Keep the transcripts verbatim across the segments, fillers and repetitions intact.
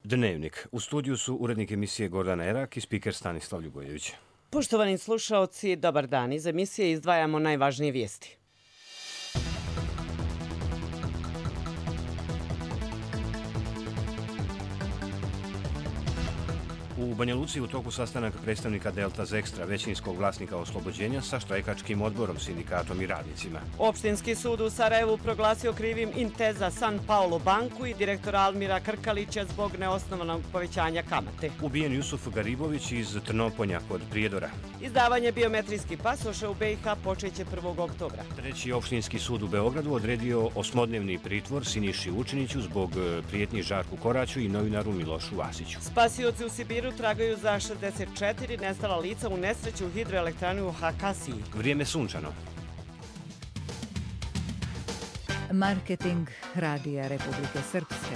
Dnevnik. U studiju su urednik emisije Gordana Erak i spiker Stanislav Ljubojević. Poštovani slušaoci, dobar dan. Iz emisije izdvajamo najvažnije vijesti. U Banja Luci u toku sastanaka predstavnika Delta Zekstra, većinskog vlasnika Oslobođenja, sa štrajkačkim odborom, sindikatom i radnicima. Opštinski sud u Sarajevu proglasio krivim Inteza San Paolo banku i direktora Almira Krkalića zbog neosnovanog povećanja kamate. Ubijen Jusuf Garibović iz Trnoponja kod Prijedora. Izdavanje biometrijskih pasoša u B i H počeće prvog oktobra. Treći opštinski sud u Beogradu odredio osmodnevni pritvor Siniši Vučiniću zbog prijetnji Žarku Koraću i novinaru Milošu Vasiću. Spasioci u Sibiru tragaju za šezdeset četiri nestala lica u nesreću u hidroelektrani u Hakasiji. Vrijeme sunčano. Marketing Radija Republike Srpske.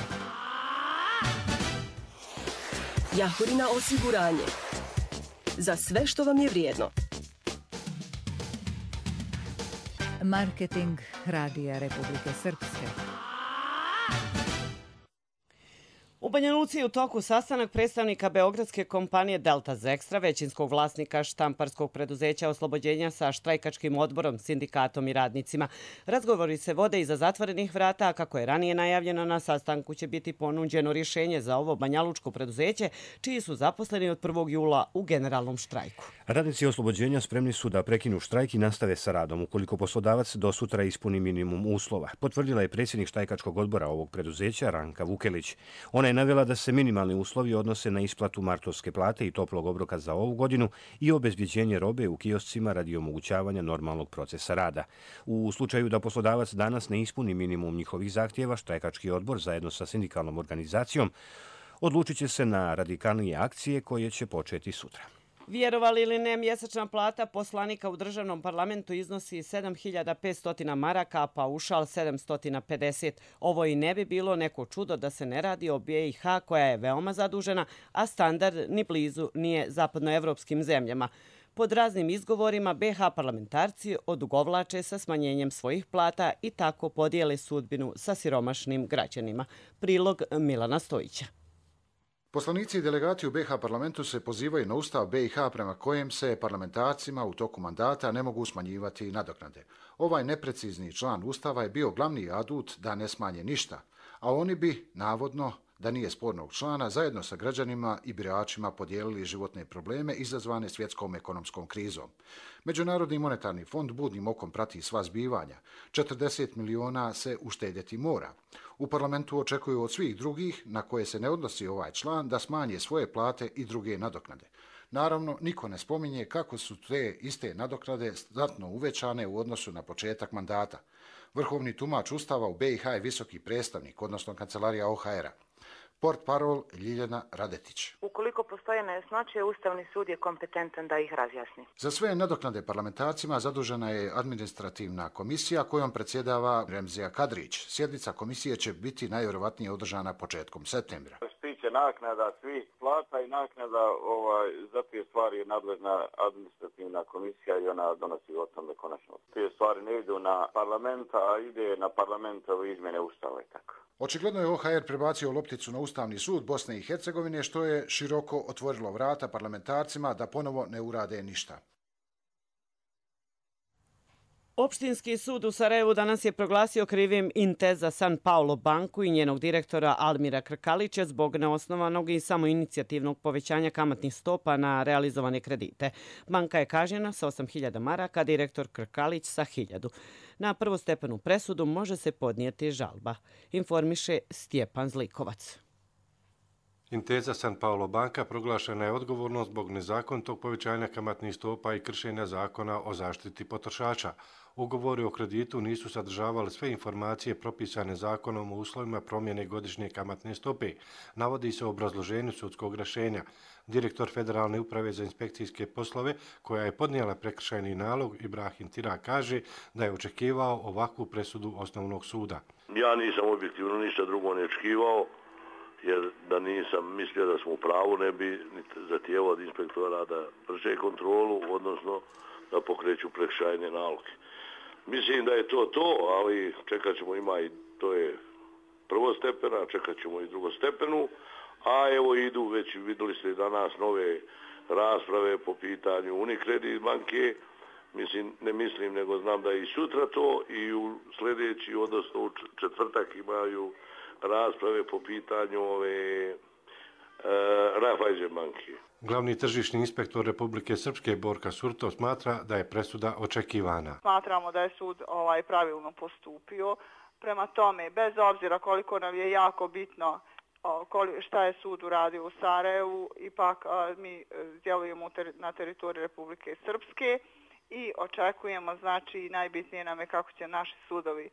Jahorina osiguranje. Za sve što vam je vrijedno. Marketing Radija Republike Srpske. U Banja Luci je u toku sastanak predstavnika beogradske kompanije Delta Zekstra, većinskog vlasnika štamparskog preduzeća Oslobođenja sa štrajkačkim odborom, sindikatom i radnicima. Razgovori se vode iza zatvorenih vrata, a kako je ranije najavljeno, na sastanku će biti ponuđeno rješenje za ovo banjalučko preduzeće, čiji su zaposleni od prvog jula u generalnom štrajku. Radnici Oslobođenja spremni su da prekinu štrajk i nastave sa radom ukoliko poslodavac do sutra ispuni minimum uslova. Potvrdila je predsjednik štrajkačkog odbora ovog preduzeća Ranka Vukelić. Ona je navela da se minimalni uslovi odnose na isplatu martovske plate i toplog obroka za ovu godinu i obezbjeđenje robe u kioscima radi omogućavanja normalnog procesa rada. U slučaju da poslodavac danas ne ispuni minimum njihovih zahtjeva, štrajkački odbor zajedno sa sindikalnom organizacijom odlučit će se na radikalnije akcije koje će početi sutra. Vjerovali ili ne, mjesečna plata poslanika u državnom parlamentu iznosi sedam hiljada petsto maraka, a paušal sedamsto pedeset. Ovo i ne bi bilo neko čudo da se ne radi o B i H koja je veoma zadužena, a standard ni blizu nije zapadnoevropskim zemljama. Pod raznim izgovorima B H parlamentarci odugovlače sa smanjenjem svojih plata i tako podijele sudbinu sa siromašnim građanima. Prilog Milana Stojića. Poslanici i delegati u B H parlamentu se pozivaju na ustav B i H prema kojem se parlamentarcima u toku mandata ne mogu smanjivati nadoknade. Ovaj neprecizni član ustava je bio glavni adut da ne smanje ništa, a oni bi, navodno, da nije spornog člana, zajedno sa građanima i biračima podijelili životne probleme izazvane svjetskom ekonomskom krizom. Međunarodni monetarni fond budnim okom prati sva zbivanja. četrdeset miliona se uštedjeti mora. U parlamentu očekuju od svih drugih, na koje se ne odnosi ovaj član, da smanje svoje plate i druge nadoknade. Naravno, niko ne spominje kako su te iste nadoknade znatno uvećane u odnosu na početak mandata. Vrhovni tumač ustava u B i H je visoki predstavnik, odnosno kancelarija O H R-a. Port parol Ljiljana Radetić. Ukoliko postoje nejasnoće, Ustavni sud je kompetentan da ih razjasni. Za sve nadoknade parlamentarcima zadužena je administrativna komisija kojom predsjedava Remzija Kadrić. Sjednica komisije će biti najvjerovatnije održana početkom septembra. Tiče naknada svih plata i naknada ovaj, za te stvari je nadležna administrativna komisija i ona donosi o tome konačno. Te stvari ne idu na parlamenta, a ide na parlamentove izmjene ustava i tako. Očigledno je O H R prebacio lopticu na Ustavni sud Bosne i Hercegovine, što je široko otvorilo vrata parlamentarcima da ponovo ne urade ništa. Opštinski sud u Sarajevu danas je proglasio krivim Inteza San Paolo banku i njenog direktora Almira Krkalića zbog neosnovanog i samoinicijativnog povećanja kamatnih stopa na realizovane kredite. Banka je kažnjena sa osam hiljada maraka, direktor Krkalić sa hiljadu. Na prvostepenu presudu može se podnijeti žalba, informiše Stjepan Zlikovac. Inteza San Paolo banka proglašena je odgovornost zbog nezakonitog povećanja kamatnih stopa i kršenja zakona o zaštiti potrošača. Ugovori o kreditu nisu sadržavali sve informacije propisane zakonom o uslovima promjene godišnje kamatne stope, navodi se u obrazloženju sudskog rješenja. Direktor Federalne uprave za inspekcijske poslove, koja je podnijela prekršajni nalog, Ibrahim Tira, kaže da je očekivao ovakvu presudu osnovnog suda. Ja nisam objektivno ništa drugo ne očekivao, jer da nisam mislio da smo u pravu, ne bi zahtijevao od inspektora da vrše kontrolu, odnosno da pokreću prekršajne naloge. Mislim da je to to, ali čekat ćemo, ima i to je prvostepena, čekat ćemo i drugostepenu, a evo idu već, vidjeli ste danas nove rasprave po pitanju Unicredit banke. Mislim, ne mislim, nego znam da i sutra to i u sljedeći, odnosno u četvrtak imaju rasprave po pitanju ove e, Raiffeisen banke. Glavni tržišni inspektor Republike Srpske Borka Surto smatra da je presuda očekivana. Smatramo da je sud ovaj pravilno postupio. Prema tome, bez obzira koliko nam je jako bitno šta je sud uradio u Sarajevu, ipak mi djelujemo na teritoriji Republike Srpske i očekujemo, znači najbitnije nam je kako će naši sudovi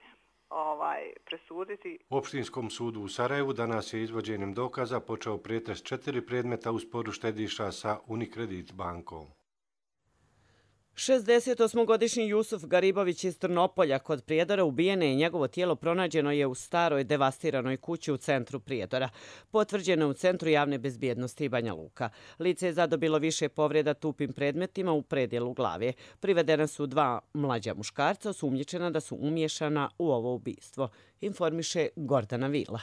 ovaj presuditi. Opštinskom sudu u Sarajevu danas je izvođenjem dokaza počeo pretres četiri predmeta u sporu štediša sa Unicredit bankom. šezdesetosmogodišnji Jusuf Garibović iz Trnopolja kod Prijedora ubijen je i njegovo tijelo pronađeno je u staroj devastiranoj kući u centru Prijedora. Potvrđeno je u Centru javne bezbjednosti Banja Luka. Lice je zadobilo više povreda tupim predmetima u predjelu glave. Privedena su dva mlađa muškarca osumnjičena da su umiješana u ovo ubistvo, informiše Gordana Vila.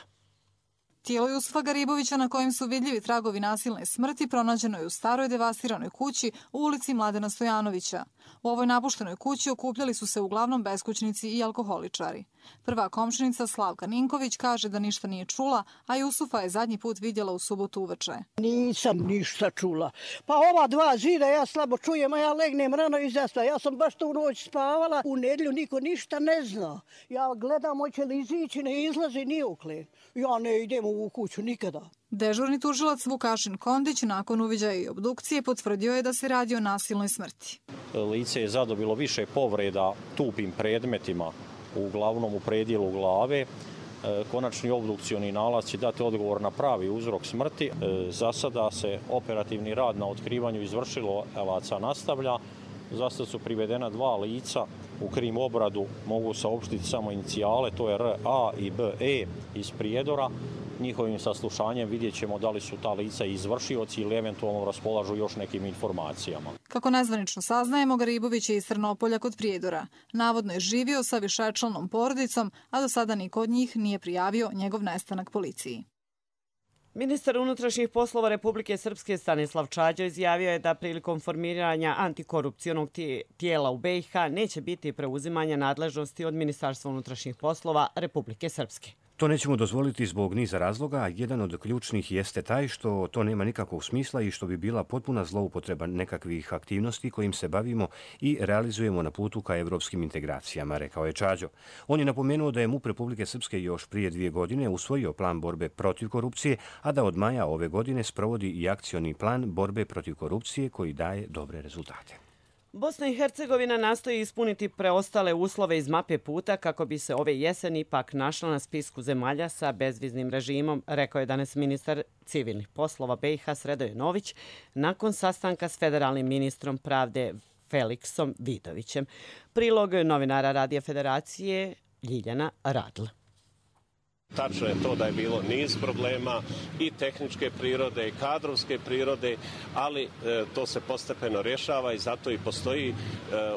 Tijelo Jusufa Garibovića na kojem su vidljivi tragovi nasilne smrti pronađeno je u staroj devastiranoj kući u ulici Mladena Stojanovića. U ovoj napuštenoj kući okupljali su se uglavnom beskućnici i alkoholičari. Prva komšinica Slavka Ninković kaže da ništa nije čula, a Jusufa je zadnji put vidjela u subotu uveče. Nisam ništa čula. Pa ova dva zida ja slabo čujem, a ja legnem rano iz zaspa. Ja sam baš tu noć spavala, u nedjelju niko ništa ne zna. Ja gledam hoće li izići, ne izlazi nijukle. Ja ne idem u kuću nikada. Dežurni tužilac Vukašin Kondić nakon uviđaja i obdukcije potvrdio je da se radi o nasilnoj smrti. Lice je zadobilo više povreda tupim predmetima, uglavnom u predjelu glave. Konačni obdukcioni nalaz će dati odgovor na pravi uzrok smrti. Za sada se operativni rad na otkrivanju izvršilaca nastavlja. Za sad su privedena dva lica. U krim obradu mogu saopštiti samo inicijale, to je R A i B E iz Prijedora. Njihovim saslušanjem vidjet ćemo da li su ta lica izvršioci ili eventualno raspolažu još nekim informacijama. Kako nezvanično saznajemo, Garibović je iz Trnopolja kod Prijedora. Navodno je živio sa višečlanom porodicom, a do sada niko od njih nije prijavio njegov nestanak policiji. Ministar unutrašnjih poslova Republike Srpske Stanislav Čađa izjavio je da prilikom formiranja antikorupcionog tijela u B i H neće biti preuzimanja nadležnosti od Ministarstva unutrašnjih poslova Republike Srpske. To nećemo dozvoliti zbog niza razloga, a jedan od ključnih jeste taj što to nema nikakvog smisla i što bi bila potpuna zloupotreba nekakvih aktivnosti kojim se bavimo i realizujemo na putu ka evropskim integracijama, rekao je Čađo. On je napomenuo da je M U P Republike Srpske još prije dvije godine usvojio plan borbe protiv korupcije, a da od maja ove godine sprovodi i akcioni plan borbe protiv korupcije koji daje dobre rezultate. Bosna i Hercegovina nastoji ispuniti preostale uslove iz mape puta kako bi se ove jeseni ipak našla na spisku zemalja sa bezviznim režimom, rekao je danas ministar civilnih poslova B i H Sredoje Nović nakon sastanka s federalnim ministrom pravde Feliksom Vidovićem. Prilog novinara Radija Federacije Ljiljana Radl. Tačno je to da je bilo niz problema i tehničke prirode i kadrovske prirode, ali e, to se postepeno rješava i zato i postoji e,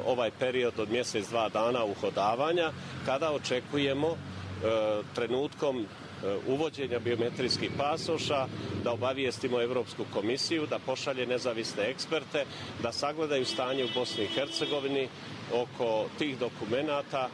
ovaj period od mjesec, dva dana uhodavanja kada očekujemo e, trenutkom uvođenja biometrijskih pasoša, da obavijestimo Evropsku komisiju, da pošalje nezavisne eksperte, da sagledaju stanje u Bosni i Hercegovini oko tih dokumenata,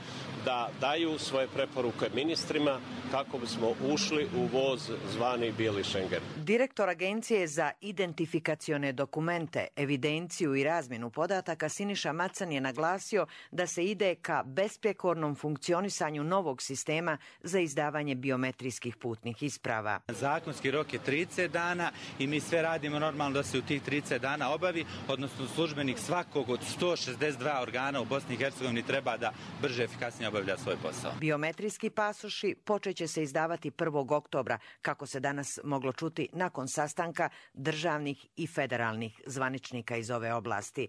da daju svoje preporuke ministrima kako bismo ušli u voz zvani Bijeli Schengen. Direktor Agencije za identifikacione dokumente, evidenciju i razmjenu podataka Siniša Macan je naglasio da se ide ka besprekornom funkcionisanju novog sistema za izdavanje biometrijskih putnih isprava. Zakonski rok je trideset dana i mi sve radimo normalno da se u tih trideset dana obavi, odnosno službenik svakog od sto šezdeset dva organa u Bosni i Hercegovini treba da brže, efikasnije obavlja svoj posao. Biometrijski pasoši počeće se izdavati prvog oktobra, kako se danas moglo čuti nakon sastanka državnih i federalnih zvaničnika iz ove oblasti.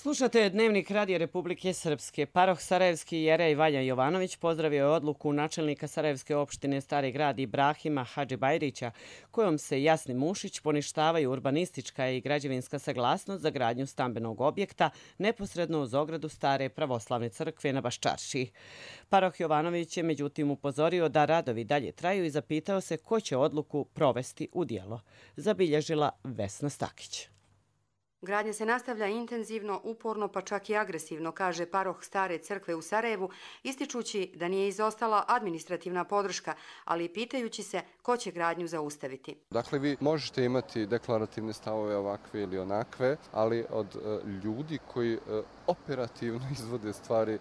Slušate Dnevnik Radija Republike Srpske. Paroh Sarajevski Jerej Vanja Jovanović pozdravio je odluku načelnika Sarajevske opštine Stari grad Ibrahima Hadžibajrića, kojom se Jasni Mušić poništavaju urbanistička i građevinska saglasnost za gradnju stambenog objekta neposredno uz ogradu Stare pravoslavne crkve na Baščaršiji. Paroh Jovanović je međutim upozorio da radovi dalje traju i zapitao se ko će odluku provesti u djelo. Zabilježila Vesna Stakić. Gradnja se nastavlja intenzivno, uporno pa čak i agresivno, kaže paroh Stare crkve u Sarajevu, ističući da nije izostala administrativna podrška, ali i pitajući se ko će gradnju zaustaviti. Dakle, vi možete imati deklarativne stavove ovakve ili onakve, ali od uh, ljudi koji uh, operativno izvode stvari uh,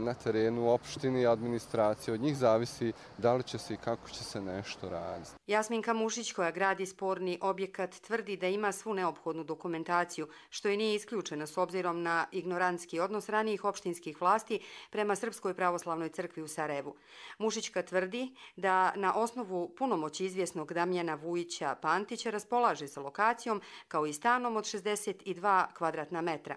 na terenu, opštini i administracije, od njih zavisi da li će se i kako će se nešto raditi. Jasminka Mušić, koja gradi sporni objekat, tvrdi da ima svu neophodnu dokumentaciju, što i nije isključeno s obzirom na ignorantski odnos ranijih opštinskih vlasti prema Srpskoj pravoslavnoj crkvi u Sarajevu. Mušićka tvrdi da na osnovu punomoći izvjesnog Damjana Vujića Pantića raspolaže sa lokacijom kao i stanom od šezdeset dva kvadratna metra.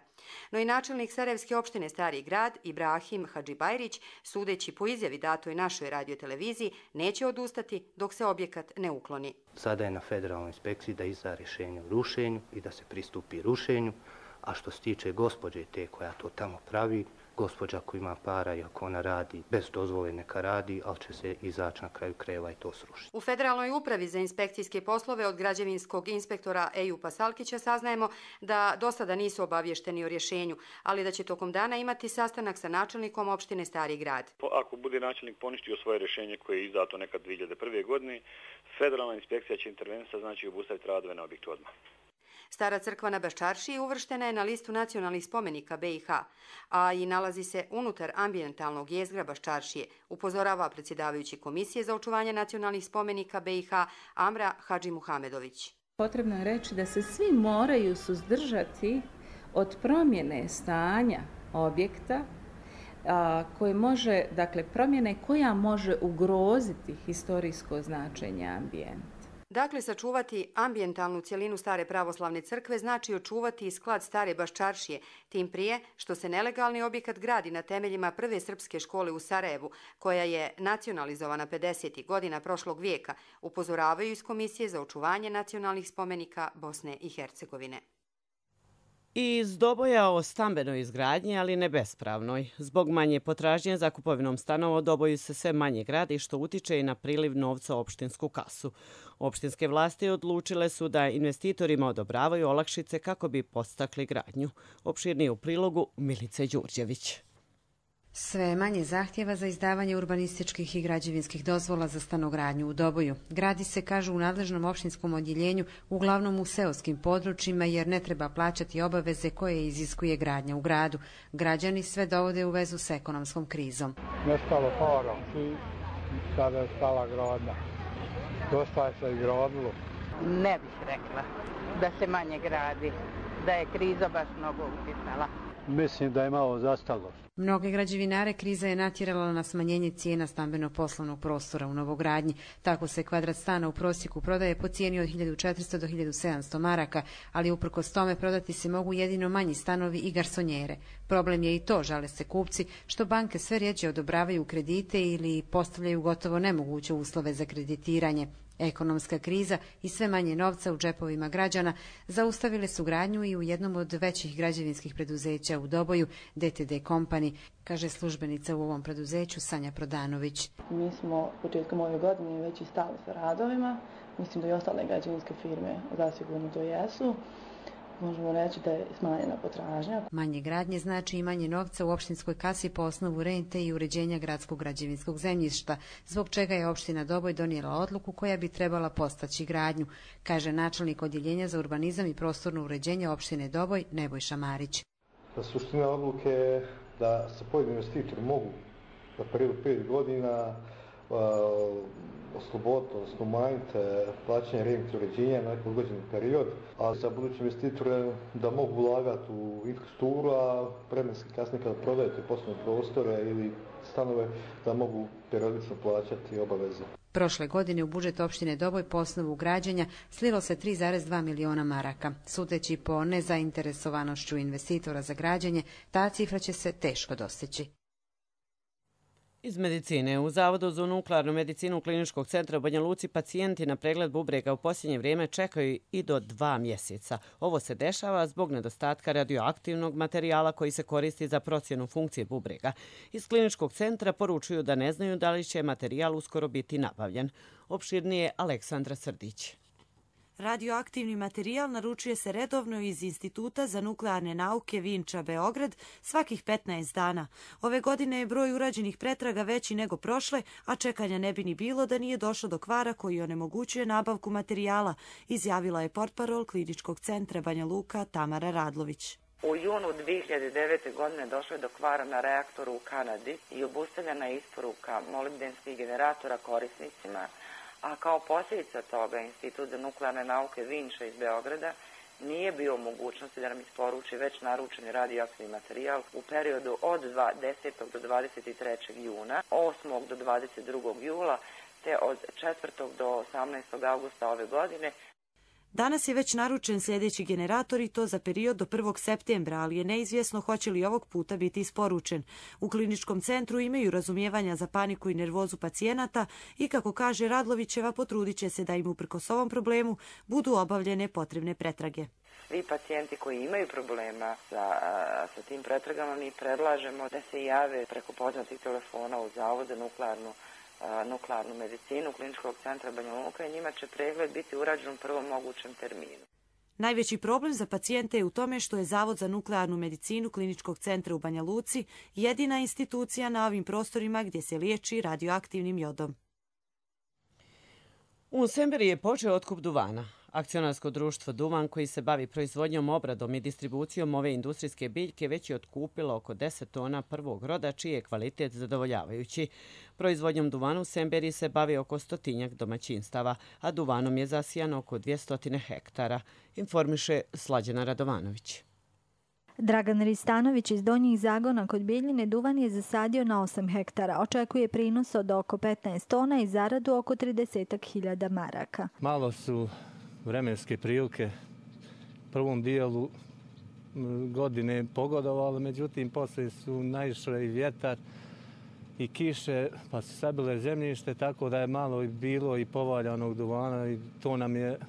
No i načelnik Sarajevske opštine Stari grad Ibrahim Hadžibajrić, sudeći po izjavi datoj našoj radioteleviziji, neće odustati dok se objekat ne ukloni. Sada je na federalnoj inspekciji da izda rješenje o rušenju i da se pristupi rušenju, a što se tiče gospođe te koja to tamo pravi, gospođa koja ima para i ako ona radi bez dozvole neka radi, ali će se izaći na kraju krajeva i to srušiti. U Federalnoj upravi za inspekcijske poslove od građevinskog inspektora Ejupa Salkića saznajemo da do sada nisu obavješteni o rješenju, ali da će tokom dana imati sastanak sa načelnikom opštine Stari grad. Ako bude načelnik poništio svoje rješenje koje je izdato nekad dvije hiljade prve. godine, Federalna inspekcija će intervenisa, znači obustaviti radove na objektu odmah. Stara crkva na Baščaršiji uvrštena je na listu nacionalnih spomenika be i ha, a i nalazi se unutar ambijentalnog jezgra Baščaršije, upozorava predsjedavajući Komisije za očuvanje nacionalnih spomenika be i ha Amra Hadžimuhamedović. Potrebno je reći da se svi moraju suzdržati od promjene stanja objekta a, koje može, dakle promjene koja može ugroziti historijsko značenje ambijenta. Dakle, sačuvati ambijentalnu cjelinu Stare pravoslavne crkve znači očuvati i sklad Stare Baščaršije, tim prije što se nelegalni objekat gradi na temeljima prve srpske škole u Sarajevu, koja je nacionalizovana pedesetih godina prošlog vijeka, upozoravaju iz Komisije za očuvanje nacionalnih spomenika Bosne i Hercegovine. I iz Doboja o stambenoj izgradnji, ali ne bespravnoj. Zbog manje potražnje za kupovinom stanova u Doboju se sve manje gradi, što utiče i na priliv novca u opštinsku kasu. Opštinske vlasti odlučile su da investitorima odobravaju olakšice kako bi podstakli gradnju. Opširnije u prilogu Milice Đurđević. Sve manje zahtjeva za izdavanje urbanističkih i građevinskih dozvola za stanogradnju u Doboju. Gradi se, kažu, u nadležnom opštinskom odjeljenju, uglavnom u seoskim područjima, jer ne treba plaćati obaveze koje iziskuje gradnja u gradu. Građani sve dovode u vezu s ekonomskom krizom. Nestalo para i sada je stala gradnja. Dosta je se i gradilo. Ne bih rekla da se manje gradi, da je kriza baš mnogo utjecala. Mislim da je malo zastalo. Mnoge građevinare kriza je natjerala na smanjenje cijena stambeno-poslovnog prostora u novogradnji. Tako se kvadrat stana u prosjeku prodaje po cijeni od hiljadu četiristo do hiljadu sedamsto maraka, ali uprkos tome prodati se mogu jedino manji stanovi i garsonjere. Problem je i to, žale se kupci, što banke sve rjeđe odobravaju kredite ili postavljaju gotovo nemoguće uslove za kreditiranje. Ekonomska kriza i sve manje novca u džepovima građana zaustavile su gradnju i u jednom od većih građevinskih preduzeća u Doboju, de te de Company, kaže službenica u ovom preduzeću Sanja Prodanović. Mi smo početkom ove godine već i stali sa radovima. Mislim da i ostale građevinske firme zasigurno to jesu. Možemo reći da je smanjena potražnja. Manje gradnje znači i manje novca u opštinskoj kasi po osnovu rente i uređenja gradskog građevinskog zemljišta, zbog čega je opština Doboj donijela odluku koja bi trebala postaći gradnju, kaže načelnik odjeljenja za urbanizam i prostorno uređenje opštine Doboj Nebojša Marić. Suština odluke je da se pojedini investitori mogu za periodu pet godina osloboditi, odnosno umanjiti plaćanje rente uređenja na neki odgođeni period, a za buduće investitore da mogu ulagati u infrastrukturu, a vremenski kasnije kada prodajete poslovne prostore ili stanove, da mogu periodično plaćati obaveze. Prošle godine u budžet opštine Doboj po osnovu građenja slilo se tri zarez dva miliona maraka. Sudeći po nezainteresovanošću investitora za građenje, ta cifra će se teško dostići. Iz medicine. U Zavodu za nuklearnu medicinu Kliničkog centra u Banja Luci pacijenti na pregled bubrega u posljednje vrijeme čekaju i do dva mjeseca. Ovo se dešava zbog nedostatka radioaktivnog materijala koji se koristi za procjenu funkcije bubrega. Iz Kliničkog centra poručuju da ne znaju da li će materijal uskoro biti nabavljen. Opširnije Aleksandra Srdić. Radioaktivni materijal naručuje se redovno iz Instituta za nuklearne nauke Vinča Beograd svakih petnaest dana. Ove godine je broj urađenih pretraga veći nego prošle, a čekanja ne bi ni bilo da nije došlo do kvara koji onemogućuje nabavku materijala, izjavila je portparol Kliničkog centra Banja Luka Tamara Radlović. U junu dvije hiljade devete. godine došlo je do kvara na reaktoru u Kanadi i obustavljena je isporuka molibdenskih generatora korisnicima, a kao posljedica toga Institut za nuklearne nauke Vinča iz Beograda nije bio u mogućnosti da nam isporuči već naručeni radioaktivni materijal u periodu od desetog do dvadeset trećeg juna, osmog do dvadeset drugog jula, te od četvrtog do osamnaestog avgusta ove godine. Danas je već naručen sljedeći generator i to za period do prvog septembra, ali je neizvjesno hoće li ovog puta biti isporučen. U Kliničkom centru imaju razumijevanja za paniku i nervozu pacijenata i, kako kaže Radlovićeva, potrudit će se da im uprkos ovom problemu budu obavljene potrebne pretrage. Svi pacijenti koji imaju problema sa, sa tim pretragama mi predlažemo da se jave preko poznatih telefona u Zavod za nuklearnu nuklearnu medicinu Kliničkog centra Banja Luka i njima će pregled biti urađen u prvom mogućem terminu. Najveći problem za pacijente je u tome što je Zavod za nuklearnu medicinu Kliničkog centra u Banja Luci jedina institucija na ovim prostorima gdje se liječi radioaktivnim jodom. U Semberiji je počeo otkup duvana. Akcionarsko društvo Duvan, koji se bavi proizvodnjom, obradom i distribucijom ove industrijske biljke, već je otkupilo oko deset tona prvog roda, čiji je kvalitet zadovoljavajući. Proizvodnjom duvana u Semberiji se bavi oko stotinjak domaćinstava, a duvanom je zasijano oko dvjesto hektara, informiše Slađana Radovanović. Dragan Ristanović iz Donjih Zagona kod Bijeljine duvan je zasadio na osam hektara. Očekuje prinos od oko petnaest tona i zaradu oko trideset hiljada maraka. Malo su vremenske prilike prvom dijelu godine pogodovali, međutim poslije su naišle i vjetar i kiše, pa su sabile zemljište, tako da je malo bilo i povaljanog duvana i to nam je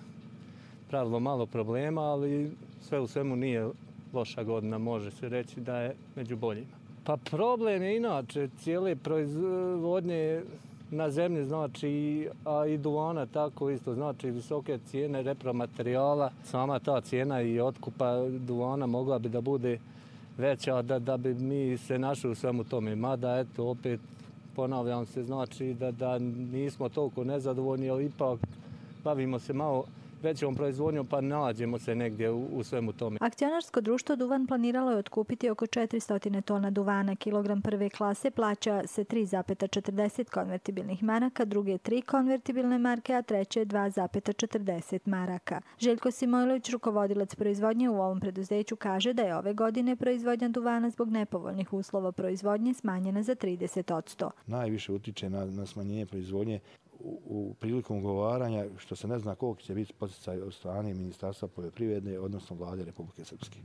pravilo malo problema, ali sve u svemu nije loša godina, može se reći da je među boljima. Pa problem je inače cijele proizvodnje na zemlji, znači, a i duvana tako isto, znači visoke cijene repromaterijala. Sama ta cijena i otkupa duvana mogla bi da bude veća da, da bi mi se našli u svemu tome. Mada, eto, opet ponavljam se, znači da, da nismo toliko nezadovoljni, ali ipak bavimo se malo većom proizvodnjom, pa nađemo se negdje u, u svemu tome. Akcionarsko društvo Duvan planiralo je otkupiti oko četiristo tona duvana. Kilogram prve klase plaća se tri zarez četrdeset konvertibilnih maraka, druge tri konvertibilne marke, a treće dva zarez četrdeset maraka. Željko Simojlović, rukovodilac proizvodnje u ovom preduzeću, kaže da je ove godine proizvodnja duvana zbog nepovoljnih uslova proizvodnje smanjena za trideset posto. Najviše utiče na, na smanjenje proizvodnje U, u prilikom ugovaranja, što se ne zna koliko će biti poticaj od strane Ministarstva poljoprivrede, odnosno Vlade Republike Srpske.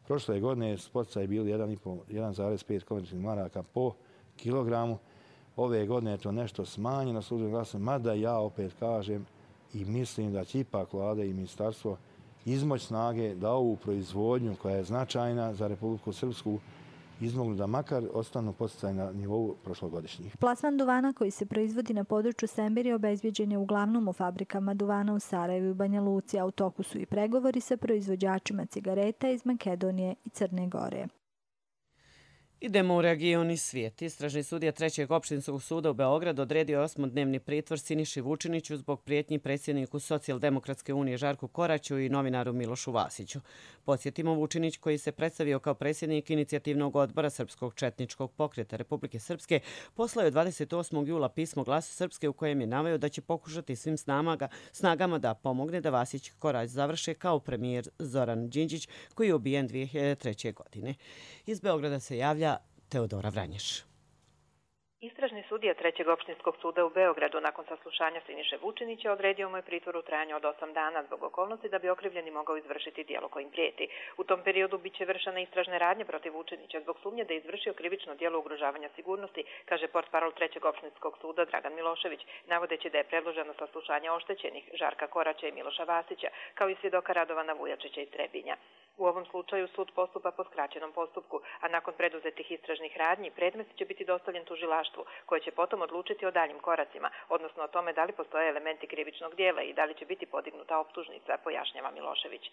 Prošle godine poticaj bili jedan zarez pet konvertibilnih maraka po kilogramu. Ove godine je to nešto smanjeno, službeno glasno, mada ja opet kažem i mislim da će ipak Vlada i Ministarstvo izmoć snage da ovu proizvodnju koja je značajna za Republiku Srpsku izmognu da makar ostanu podsticaj na nivou prošlogodišnjih. Plasman duvana koji se proizvodi na području Semberije obezbjeđen je uglavnom u fabrikama duvana u Sarajevu i Banja Luci, a u toku su i pregovori sa proizvođačima cigareta iz Makedonije i Crne Gore. Idemo u region i svijet. Istražni sudija Trećeg opštinskog suda u Beogradu odredio osmodnevni pritvor Siniši Vučiniću zbog prijetnji predsjedniku Socijaldemokratske unije Žarku Koraću i novinaru Milošu Vasiću. Podsjetimo, Vučinić, koji se predstavio kao predsjednik inicijativnog odbora Srpskog četničkog pokreta Republike Srpske, poslao je dvadeset osmog jula pismo Glasu Srpske u kojem je naveo da će pokušati svim snamaga, snagama da pomogne da Vasić Korać završe kao premijer Zoran Đinđić, koji je ubijen dvije hiljade treće. godine. Iz Beograda se javlja Teodora Vranješ. Istražni sudija Trećeg opštinskog suda u Beogradu nakon saslušanja Siniše Vučinića odredio mu je pritvor u trajanju od osam dana zbog okolnosti da bi okrivljeni mogao izvršiti djelo kojim prijeti. U tom periodu biće vršene istražne radnje protiv Vučinića zbog sumnje da je izvršio krivično djelo ugrožavanja sigurnosti, kaže portparol Trećeg opštinskog suda Dragan Milošević, navodeći da je predloženo saslušanje oštećenih Žarka Koraća i Miloša Vasića, kao i svjedoka Radovana Vujačića iz Trebinja. U ovom slučaju sud postupa po skraćenom postupku, a nakon preduzetih istražnih radnji predmet će biti dostavljen tužilaštvu, koje će potom odlučiti o daljim koracima, odnosno o tome da li postoje elementi krivičnog dijela i da li će biti podignuta optužnica, pojašnjava Milošević.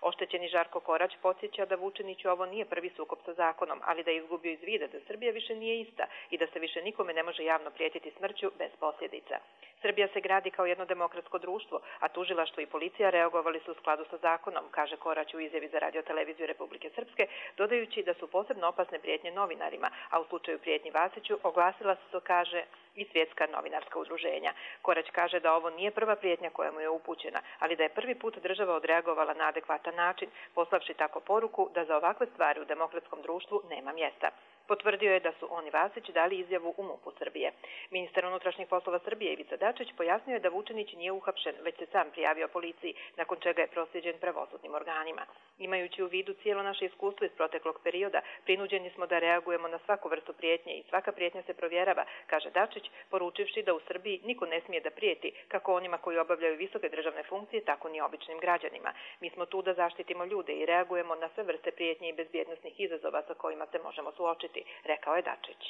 Oštećeni Žarko Korać podsjeća da Vučiniću ovo nije prvi sukob sa zakonom, ali da je izgubio iz vida da Srbija više nije ista i da se više nikome ne može javno prijetiti smrću bez posljedica. Srbija se gradi kao jedno demokratsko društvo, a tužilaštvo i policija reagovali su u skladu sa zakonom, kaže Korać u izjavi za Radio-televiziju Republike Srpske, dodajući da su posebno opasne prijetnje novinarima, a u slučaju prijetnji Vasiću oglasila se, to kaže, i svjetska novinarska udruženja. Korać kaže da ovo nije prva prijetnja koja mu je upućena, ali da je prvi put država odreagovala na adekvatan način, poslavši tako poruku da za ovakve stvari u demokratskom društvu nema mjesta. Potvrdio je da su on i Vasić dali izjavu u MUP-u Srbije. Ministar unutrašnjih poslova Srbije Ivica Dačić pojasnio je da Vučinić nije uhapšen, već se sam prijavio policiji, nakon čega je proslijeđen pravosudnim organima. Imajući u vidu cijelo naše iskustvo iz proteklog perioda, prinuđeni smo da reagujemo na svaku vrstu prijetnje i svaka prijetnja se provjerava, kaže Dačić, poručivši da u Srbiji niko ne smije da prijeti, kako onima koji obavljaju visoke državne funkcije, tako ni običnim građanima. Mi smo tu da zaštitimo ljude i reagujemo na sve vrste prijetnje i bezbjednosnih izazova sa kojima se možemo suočiti, rekao je Dačić.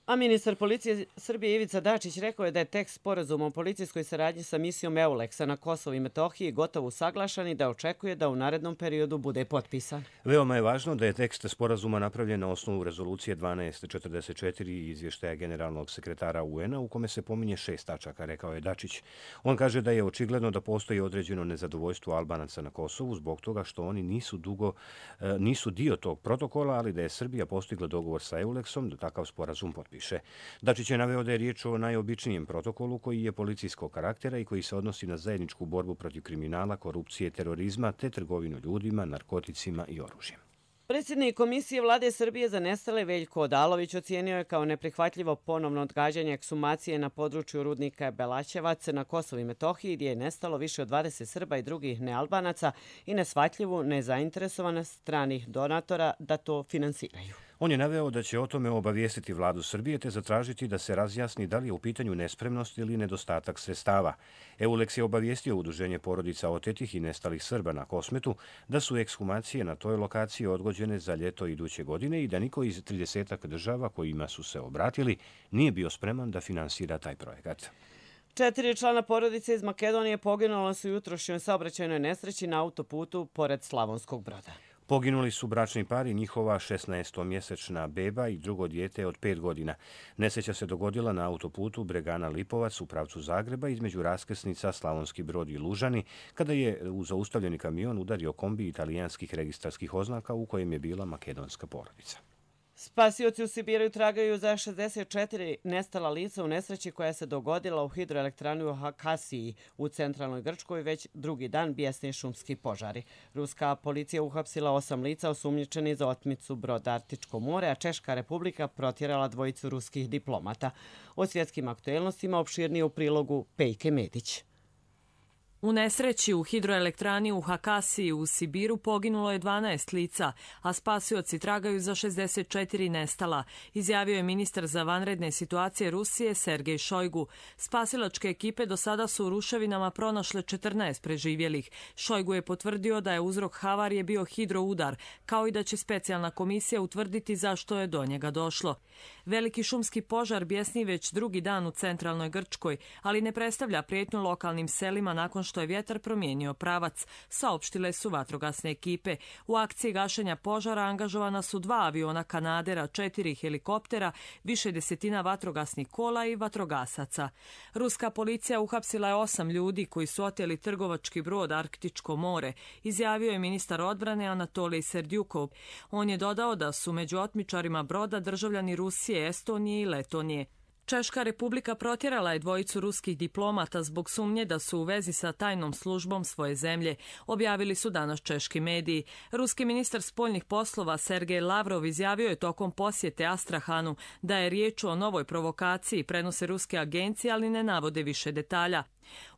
A ministar policije Srbije Ivica Dačić rekao je da je tekst sporazuma o policijskoj saradnji sa misijom EULEX-a na Kosovu i Metohiji gotovo usaglašan i da očekuje da u narednom periodu bude potpisan. Veoma je važno da je tekst sporazuma napravljen na osnovu rezolucije dvanaest četrdeset četiri i izvještaja generalnog sekretara U N-a u kome se pominje šest tačaka, rekao je Dačić. On kaže da je očigledno da postoji određeno nezadovoljstvo Albanaca na Kosovu zbog toga što oni nisu dugo nisu dio tog protokola, ali da je Srbija postigla dogovor sa EULEX-om da takav sporazum potpiše. Dačić je naveo da je riječ o najobičnijem protokolu koji je policijskog karaktera i koji se odnosi na zajedničku borbu protiv kriminala, korupcije, terorizma te trgovinu ljudima, narkoticima i oružjem. Predsjednik Komisije Vlade Srbije za nestale Veljko Odalović ocijenio je kao neprihvatljivo ponovno odgađanje eksumacije na području rudnika Belaćevac na Kosovu i Metohiji, gdje je nestalo više od dvadeset Srba i drugih nealbanaca, i neshvatljivu nezainteresovanost stranih donatora da to finansiraju. On je naveo da će o tome obavijestiti vladu Srbije te zatražiti da se razjasni da li je u pitanju nespremnost ili nedostatak sredstava. EULEX je obavijestio udruženje porodica otetih i nestalih Srba na Kosmetu da su ekshumacije na toj lokaciji odgođene za ljeto iduće godine i da niko iz tridesetak država kojima su se obratili nije bio spreman da finansira taj projekat. Četiri člana porodice iz Makedonije poginula su u jutrošnjoj saobraćajnoj nesreći na autoputu pored Slavonskog Broda. Poginuli su bračni par i njihova šesnaestomjesečna beba i drugo dijete od pet godina. Nesreća se dogodila na autoputu Bregana-Lipovac u pravcu Zagreba između raskrsnica Slavonski Brod i Lužani, kada je u zaustavljeni kamion udario kombi italijanskih registarskih oznaka u kojem je bila makedonska porodica. Spasioci u Sibiru tragaju za šezdeset četiri nestala lica u nesreći koja se dogodila u hidroelektrani u Hakasiji u centralnoj Grčkoj. Već drugi dan bijesni šumski požari. Ruska policija uhapsila osam lica osumnjičeni za otmicu broda Arktičko more, a Češka republika protjerala dvojicu ruskih diplomata. O svjetskim aktuelnostima opširnije u prilogu Pejke Medić. U nesreći u hidroelektrani u Hakasiji u Sibiru poginulo je dvanaest lica, a spasioci tragaju za šezdeset četiri nestala, izjavio je ministar za vanredne situacije Rusije Sergej Šojgu. Spasilačke ekipe do sada su u ruševinama pronašle četrnaest preživjelih. Šojgu je potvrdio da je uzrok havarije bio hidroudar, kao i da će specijalna komisija utvrditi zašto je do njega došlo. Veliki šumski požar bijesni već drugi dan u centralnoj Grčkoj, ali ne predstavlja prijetnju lokalnim selima nakon što je vjetar promijenio pravac, saopštile su vatrogasne ekipe. U akciji gašenja požara angažovana su dva aviona Kanadera, četiri helikoptera, više desetina vatrogasnih kola i vatrogasaca. Ruska policija uhapsila je osam ljudi koji su oteli trgovački brod Arktičko more, izjavio je ministar odbrane Anatolij Serdjukov. On je dodao da su među otmičarima broda državljani Rusije, Estonije i Letonije. Češka republika protjerala je dvojicu ruskih diplomata zbog sumnje da su u vezi sa tajnom službom svoje zemlje, objavili su danas češki mediji. Ruski ministar spoljnih poslova Sergej Lavrov izjavio je tokom posjete Astrahanu da je riječ o novoj provokaciji, prenose ruske agencije, ali ne navode više detalja.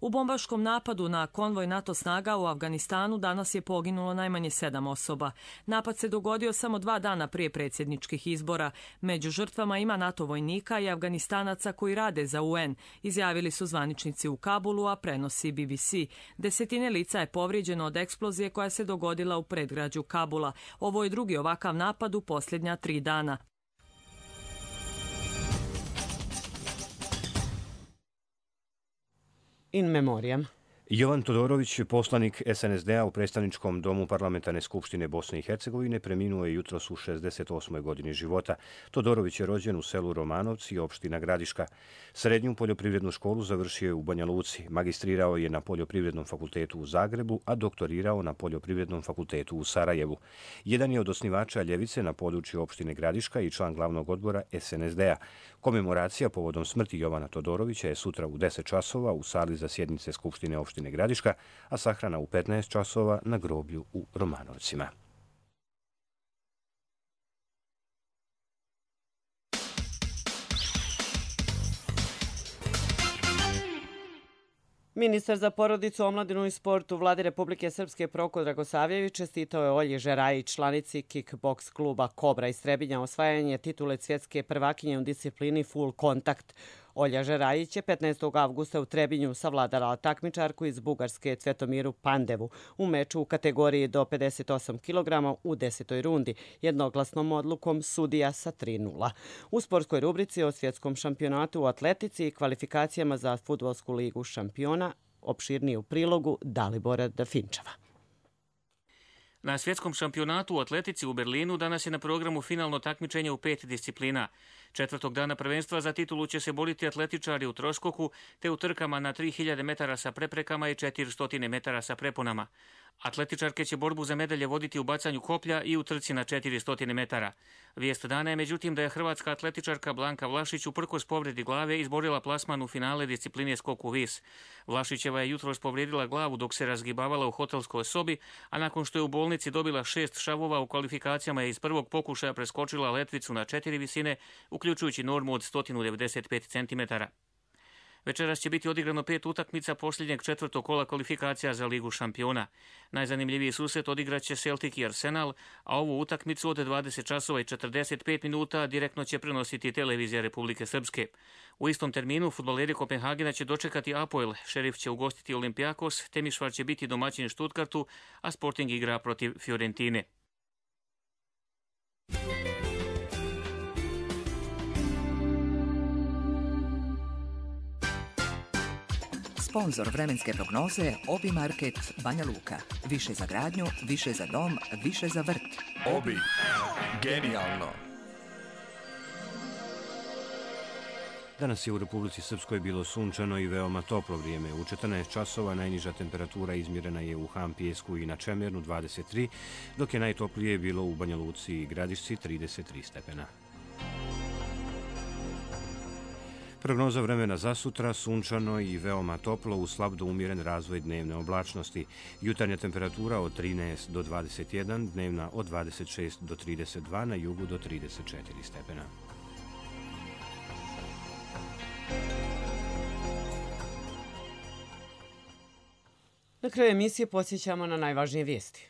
U bombaškom napadu na konvoj NATO snaga u Afganistanu danas je poginulo najmanje sedam osoba. Napad se dogodio samo dva dana prije predsjedničkih izbora. Među žrtvama ima NATO vojnika i Afganistanaca koji rade za U N, izjavili su zvaničnici u Kabulu, a prenosi B B C. Desetine lica je povrijeđeno od eksplozije koja se dogodila u predgrađu Kabula. Ovo je drugi ovakav napad u posljednja tri dana. In memoriam. Jovan Todorović, poslanik S N S D-a u predstavničkom domu Parlamentarne skupštine Bosne i Hercegovine, preminuo je jutros u šezdeset osmoj godini života. Todorović je rođen u selu Romanovci, opština Gradiška. Srednju poljoprivrednu školu završio je u Banja Luci. Magistrirao je na Poljoprivrednom fakultetu u Zagrebu, a doktorirao na Poljoprivrednom fakultetu u Sarajevu. Jedan je od osnivača Ljevice na području opštine Gradiška i član glavnog odbora S N S D-a. Komemoracija povodom smrti Jovana Todorovića je sutra u deset časova u sali za sjednice Skupštine opštine Gradiška, a sahrana u petnaest časova na groblju u Romanovcima. Ministar za porodicu, omladinu i sport u Vladi Republike Srpske Proko Dragosavljević čestitao je Olji Žerajić, članici kickboks kluba Kobra iz Trebinja, osvajanje titule svjetske prvakinje u disciplini full kontakt. Olja Žerajić je petnaestog avgusta u Trebinju savladala takmičarku iz Bugarske Cvetomiru Pandevu u meču u kategoriji do pedeset osam kilograma u desetoj rundi, jednoglasnom odlukom sudija sa tri nula. U sportskoj rubrici o svjetskom šampionatu u atletici i kvalifikacijama za Fudbalsku ligu šampiona, opširniji u prilogu Dalibora Dafinčeva. Na svjetskom šampionatu u atletici u Berlinu danas je na programu finalno takmičenje u pet disciplina. Četvrtog dana prvenstva za titulu će se boriti atletičari u troskoku te u trkama na tri hiljade metara sa preprekama i četiristo metara sa preponama. Atletičarke će borbu za medalje voditi u bacanju koplja i u trci na četiristo metara. Vijest dana je međutim da je hrvatska atletičarka Blanka Vlašić uprkos povredi glave izborila plasman u finale discipline skok u vis. Vlašićeva je jutros povrijedila glavu dok se razgibavala u hotelskoj sobi, a nakon što je u bolnici dobila šest šavova u kvalifikacijama je iz prvog pokušaja preskočila letvicu na četiri visine, uključujući normu od sto devedeset pet centimetara. Večeras će biti odigrano pet utakmica posljednjeg četvrtog kola kvalifikacija za Ligu šampiona. Najzanimljiviji susret odigraće Celtic i Arsenal, a ovu utakmicu od dvadeset časova i četrdeset pet minuta direktno će prenositi televizija Republike Srpske. U istom terminu fudbaleri Kopenhagena će dočekati Apoel, Šerif će ugostiti Olympiakos, Temišvar će biti domaćin Stuttgartu, a Sporting igra protiv Fiorentine. Sponzor vremenske prognoze Obi Market Banja Luka. Više za gradnju, više za dom, više za vrt. Obi. Genijalno. Danas je u Republici Srpskoj bilo sunčano i veoma toplo vrijeme. U četrnaest časova najniža temperatura izmjerena je u Han Pijesku i na Čemernu dvadeset tri, dok je najtoplije bilo u Banja Luci i Gradišci trideset tri stepena. Prognoza vremena za sutra, sunčano i veoma toplo uz slab do umjeren razvoj dnevne oblačnosti. Jutarnja temperatura od trinaest do dvadeset jedan, dnevna od dvadeset šest do trideset dva, na jugu do trideset četiri stepena. Na kraju emisije podsjećamo na najvažnije vijesti.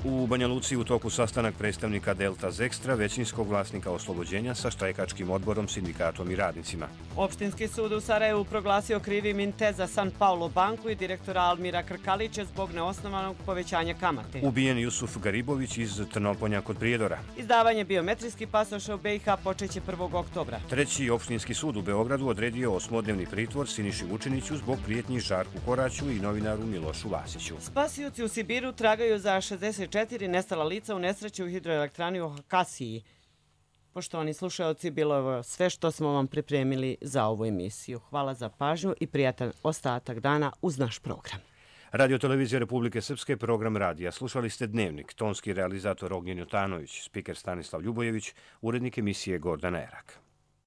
U U Banja Luci u toku sastanak predstavnika Delta Zekstra, većinskog vlasnika oslobođenja sa štrajkačkim odborom, sindikatom i radnicima. Opštinski sud u Sarajevu proglasio krivim Inteza San Paulo banku i direktora Almira Krkalića zbog neosnovanog povećanja kamate. Ubijen Jusuf Garibović iz Trnoponja kod Prijedora. Izdavanje biometrijskih pasoša u B i H počeće prvog oktobra. Treći opštinski sud u Beogradu odredio osmodnevni pritvor Siniši Vučiniću zbog prijetnji Žarku Koraću i novinaru Milošu Vasiću. Spasioci u Sibiru tragaju za šezdeset četiri nestala lica u nesreći u hidroelektrani u Hakasiji. Poštovani slušalci, bilo je sve što smo vam pripremili za ovu emisiju. Hvala za pažnju i prijatan ostatak dana uz naš program. Radio Televizija Republike Srpske, program radija. Slušali ste Dnevnik, tonski realizator Ognjen Jotanović, spiker Stanislav Ljubojević, urednik emisije Gordana Erak.